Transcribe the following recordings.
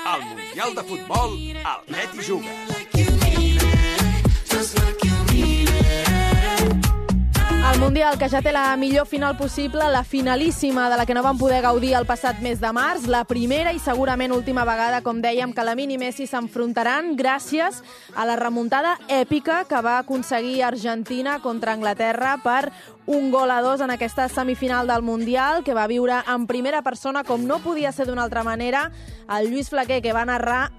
Al Mundial de Futbol, al Net i Jugues. El Mundial, que ja té la millor final possible, la finalíssima de la que no vam poder gaudir el passat mes de març, la primera i segurament última vegada, com dèiem, que Lamine i Messi s'enfrontaran gràcies a la remuntada èpica que va aconseguir Argentina contra Anglaterra per 1-2 en aquesta semifinal del Mundial, que va viure en primera persona, com no podia ser d'una altra manera, el Lluís Flaquer, que va narrar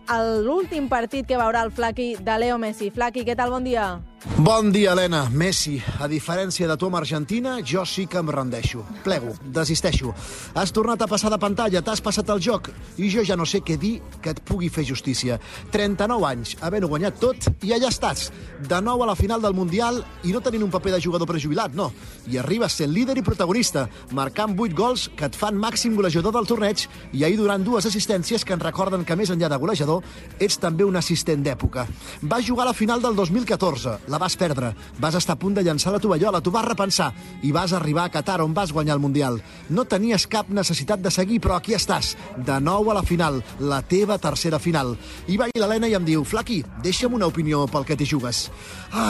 l'últim partit que veurà el Flaqui de Leo Messi. Flaqui, què tal? Bon dia. Bon dia, Helena. Messi, a diferència de tu amb Argentina, jo sí que em rendeixo. Plego, desisteixo. Has tornat a passar de pantalla, t'has passat el joc, i jo ja no sé què dir que et pugui fer justícia. 39 anys, havent-ho guanyat tot, i allà estàs, de nou a la final del Mundial, i no tenint un paper de jugador prejubilat, no. I arribes sent líder i protagonista, marcant 8 gols que et fan màxim golejador del torneig, i ahir donant 2 assistències que ens recorden que, més enllà de golejador, ets també un assistent d'època. Vas jugar a la final del 2014, la vas perdre, vas estar a punt de llançar la tovallola, t'ho vas repensar i vas arribar a Qatar, on vas guanyar el Mundial. No tenies cap necessitat de seguir, però aquí estàs, de nou a la final, la teva tercera final. I va l'Helena i em diu: Flaqui, deixa'm una opinió pel que t'hi jugues.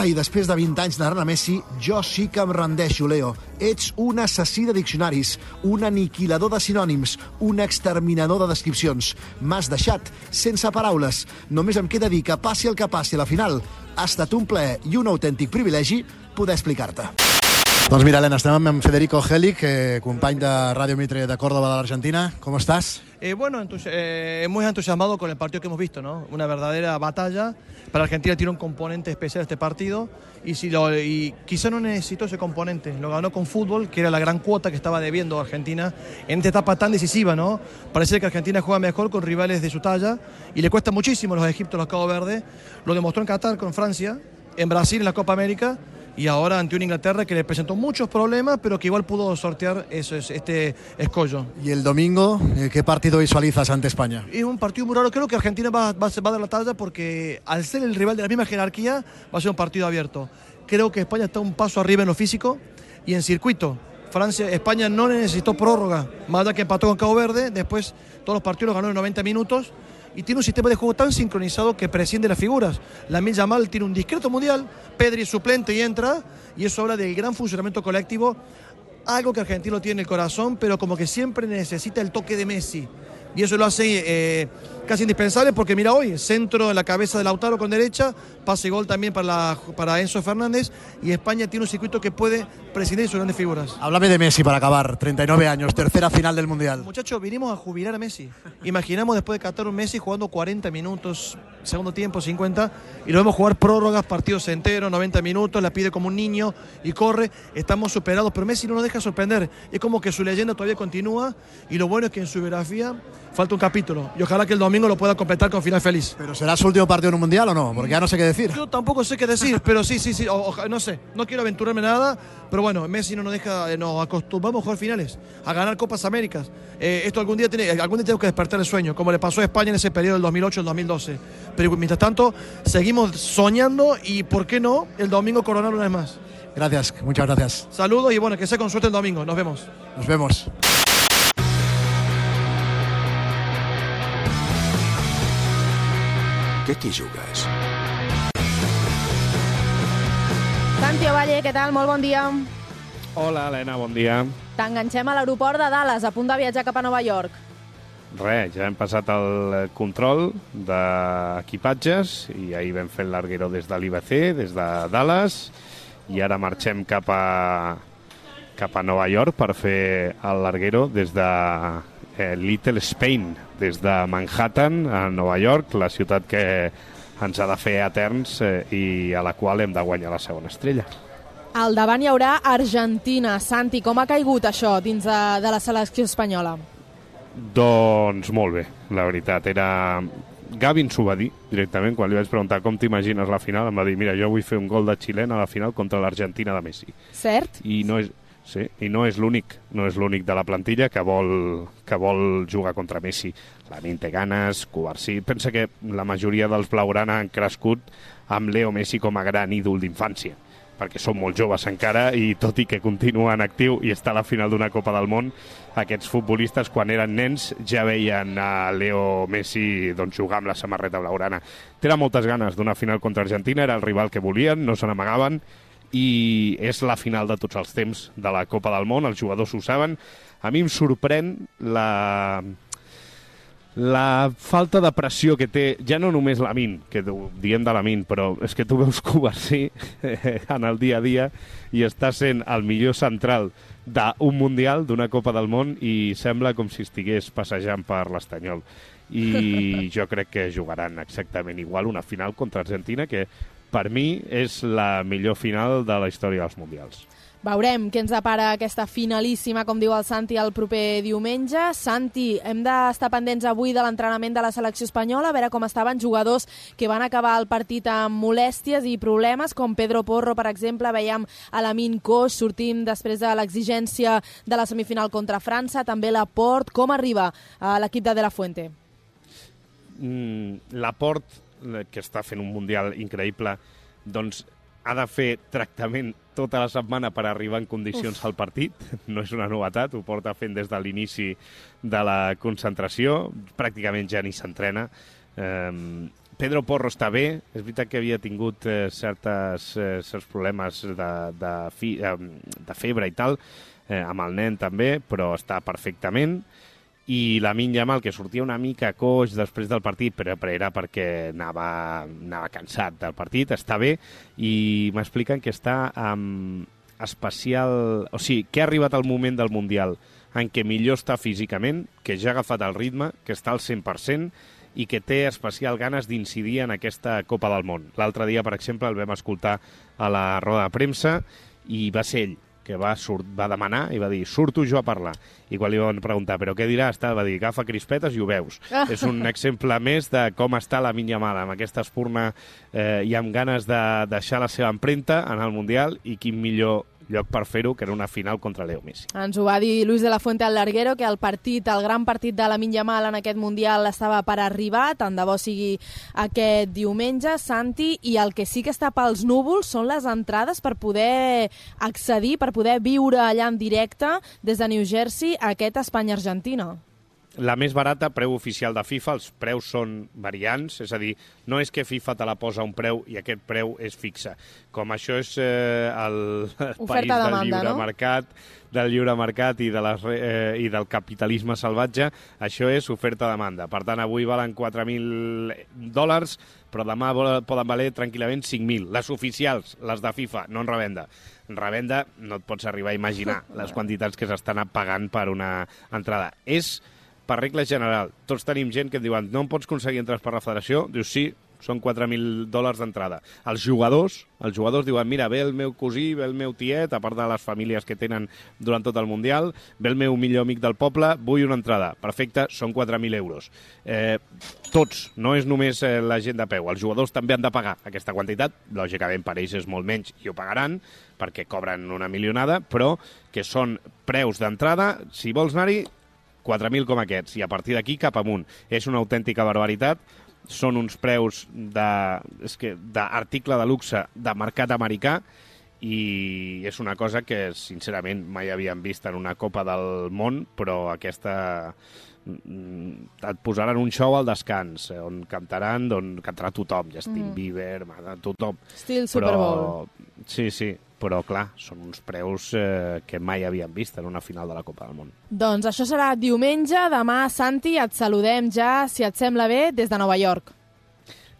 I després de 20 anys narrant a Messi, jo sí que em rendeixo, Leo. Ets un assassí de diccionaris, un aniquilador de sinònims, un exterminador de descripcions. M'has deixat sense paraules. Només em queda dir que passi el que passi a la final, ha estat un plaer i un autèntic privilegi poder explicar-te. Doncs mira, Helena, estem amb Federico Gelic, company de Radio Mitre de Córdoba de l'Argentina. ¿Cómo estás? Bueno, muy entusiasmado con el partido que hemos visto, ¿no? Una verdadera batalla. Para Argentina tiene un componente especial este partido y quizá no necesitó ese componente. Lo ganó con fútbol, que era la gran cuota que estaba debiendo Argentina en esta etapa tan decisiva, ¿no? Parece que Argentina juega mejor con rivales de su talla y le cuesta muchísimo a los egipcios, los Cabo Verde. Lo demostró en Qatar con Francia, en Brasil en la Copa América, y ahora ante una Inglaterra que le presentó muchos problemas, pero que igual pudo sortear este escollo. ¿Y el domingo qué partido visualizas ante España? Es un partido muy raro. Creo que Argentina va a dar la talla porque al ser el rival de la misma jerarquía va a ser un partido abierto. Creo que España está un paso arriba en lo físico y en circuito. España no necesitó prórroga, más allá que empató con Cabo Verde, después todos los partidos los ganó en 90 minutos. Y tiene un sistema de juego tan sincronizado que prescinde las figuras. Lamine Yamal tiene un discreto mundial, Pedri es suplente y entra, y eso habla del gran funcionamiento colectivo, algo que Argentino tiene en el corazón, pero como que siempre necesita el toque de Messi. Y eso lo hace casi indispensable porque mira hoy, centro en la cabeza de Lautaro con derecha, pase y gol también para Enzo Fernández, y España tiene un circuito que puede prescindir sus grandes figuras. Háblame de Messi para acabar, 39 años, tercera final del Mundial. Muchachos, vinimos a jubilar a Messi. Imaginamos después de Qatar un Messi jugando 40 minutos, segundo tiempo 50, y lo vemos jugar prórrogas, partidos enteros, 90 minutos, la pide como un niño y corre. Estamos superados, pero Messi no nos deja sorprender. Es como que su leyenda todavía continúa, y lo bueno es que en su biografía falta un capítulo, y ojalá que el domingo lo pueda completar con final feliz. ¿Pero será su último partido en un Mundial o no? Porque ya no sé qué decir. Yo tampoco sé qué decir, pero sí, no sé, no quiero aventurarme nada, pero bueno, Messi no nos deja, nos acostumbramos a jugar finales, a ganar Copas Américas. Esto algún día tenemos que despertar el sueño, como le pasó a España en ese periodo del 2008 al 2012. Pero mientras tanto, seguimos soñando y, ¿por qué no?, el domingo coronar una vez más. Gracias, muchas gracias. Saludos y bueno, que sea con suerte el domingo. Nos vemos. Nos vemos. Què t'hi jugues? Santi Ovalle, què tal? Molt bon dia. Hola, Helena, bon dia. T'enganxem a l'aeroport de Dallas, a punt de viatjar cap a Nova York. Res, ja hem passat el control d'equipatges i ahir vam fer el larguero des de l'IBC, des de Dallas, i ara marxem cap a Nova York per fer el larguero des de Little Spain, des de Manhattan a Nova York, la ciutat que ens ha de fer eterns i a la qual hem de guanyar la segona estrella. Al davant hi haurà Argentina. Santi, com ha caigut això dins de la selecció espanyola? Doncs molt bé, la veritat. Gavi ens ho va dir directament, quan li vaig preguntar com t'imagines la final, em va dir, mira, jo vull fer un gol de xilena a la final contra l'Argentina de Messi. Cert? I no és l'únic de la plantilla que vol jugar contra Messi. Lamine té ganes, Cubarsí. Pensa que la majoria dels blaugrana han crescut amb Leo Messi com a gran ídol d'infància. perquè són molt joves encara, i tot i que continua en actiu i està a la final d'una Copa del Món, aquests futbolistes, quan eren nens, ja veien a Leo Messi jugar amb la samarreta blaugrana. Tenen moltes ganes d'una final contra Argentina, era el rival que volien, no se n'amagaven, i és la final de tots els temps de la Copa del Món, els jugadors ho saben. A mi em sorprèn la falta de pressió que té, ja no només Lamine, que diem de Lamine, però és que tu veus Cubarsí en el dia a dia i està sent el millor central d'un Mundial, d'una Copa del Món, i sembla com si estigués passejant per l'Estanyol. I jo crec que jugaran exactament igual una final contra Argentina, que per mi és la millor final de la història dels Mundials. Veurem què ens depara aquesta finalíssima, com diu el Santi, el proper diumenge. Santi, hem d'estar pendents avui de l'entrenament de la selecció espanyola, a veure com estaven jugadors que van acabar el partit amb molèsties i problemes, com Pedro Porro, per exemple. Veiem a Lamine Coix, sortim després de l'exigència de la semifinal contra França, també Laporte. Com arriba l'equip de la Fuente? Laporte, que està fent un Mundial increïble, doncs ha de fer tractament tota la setmana per arribar en condicions al partit. No és una novetat, ho porta fent des de l'inici de la concentració. Pràcticament ja ni s'entrena. Pedro Porro està bé. És veritat que havia tingut certs problemes de febre i tal, amb el nen també, però està perfectament. I Lamine Yamal, que sortia una mica coix després del partit, però era perquè anava cansat del partit, està bé, i m'expliquen que està amb especial... O sigui, que ha arribat el moment del Mundial en què millor està físicament, que ja ha agafat el ritme, que està al 100% i que té especial ganes d'incidir en aquesta Copa del Món. L'altre dia, per exemple, el vam escoltar a la roda de premsa i va ser ell que va demanar i va dir, surto jo a parlar. I quan li van preguntar, però què diràs? Va dir, agafa crispetes i ho veus. És un exemple més de com està Lamine Yamal, amb aquesta espurna i amb ganes de deixar la seva empremta en el Mundial, i quin millor lloc per fer-ho que era una final contra Leo Messi. Ens ho va dir Luis de la Fuente al Larguero, que el gran partit de Lamine Yamal en aquest Mundial estava per arribar, tant de bo sigui aquest diumenge, Santi, i el que sí que està pels núvols són les entrades per poder accedir, per poder viure allà en directe des de New Jersey a aquest Espanya-Argentina. La més barata, preu oficial de FIFA, els preus són variants, és a dir, no és que FIFA te la posa un preu i aquest preu és fixe. Com això és el país del lliure mercat i del capitalisme salvatge, això és oferta-demanda. Per tant, avui valen $4.000, però demà poden valer tranquil·lament 5.000. Les oficials, les de FIFA, no en revenda. En revenda no et pots arribar a imaginar les quantitats que s'estan pagant per una entrada. És per regla general. Tots tenim gent que et diuen, no em pots aconseguir entres per la federació? Dius, sí, són $4.000 d'entrada. Els jugadors diuen, mira, ve el meu cosí, ve el meu tiet, a part de les famílies que tenen durant tot el Mundial, ve el meu millor amic del poble, vull una entrada. Perfecte, són 4.000 euros. Tots, no és només la gent de peu. Els jugadors també han de pagar aquesta quantitat. Lògicament, per ells és molt menys i ho pagaran, perquè cobren una milionada, però que són preus d'entrada. Si vols anar-hi, 4.000 com aquests, i a partir d'aquí cap amunt. És una autèntica barbaritat. Són uns preus d'article de luxe de mercat americà, i és una cosa que, sincerament, mai havíem vist en una Copa del Món, però aquesta et posaran un show al descans, on cantarà tothom, Justin Bieber, tothom. Estil Super Bowl. Sí, però clar, són uns preus que mai havíem vist en una final de la Copa del Món. Doncs això serà diumenge. Demà, Santi, et saludem ja, si et sembla bé, des de Nova York.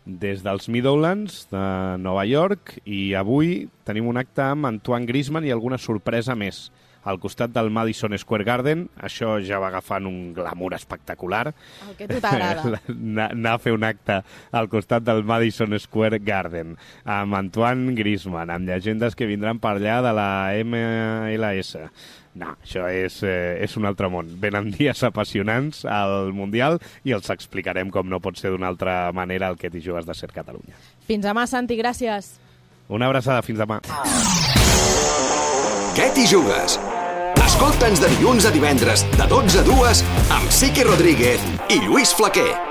Des dels Meadowlands de Nova York, i avui tenim un acte amb Antoine Griezmann i alguna sorpresa més. Al costat del Madison Square Garden, això ja va agafant un glamour espectacular. El que a tu t'agrada. Anar a fer un acte al costat del Madison Square Garden, amb Antoine Griezmann, amb llegendes que vindran per allà de la MLS. No, això és un altre món. Venen dies apassionants al Mundial i els explicarem com no pot ser d'una altra manera el que t'hi jugues de ser Catalunya. Fins demà, Santi, gràcies. Una abraçada, fins demà. Què t'hi jugues? Escolta'ns de dilluns a divendres, de 12 a 2, amb Sique Rodríguez i Lluís Flaquer.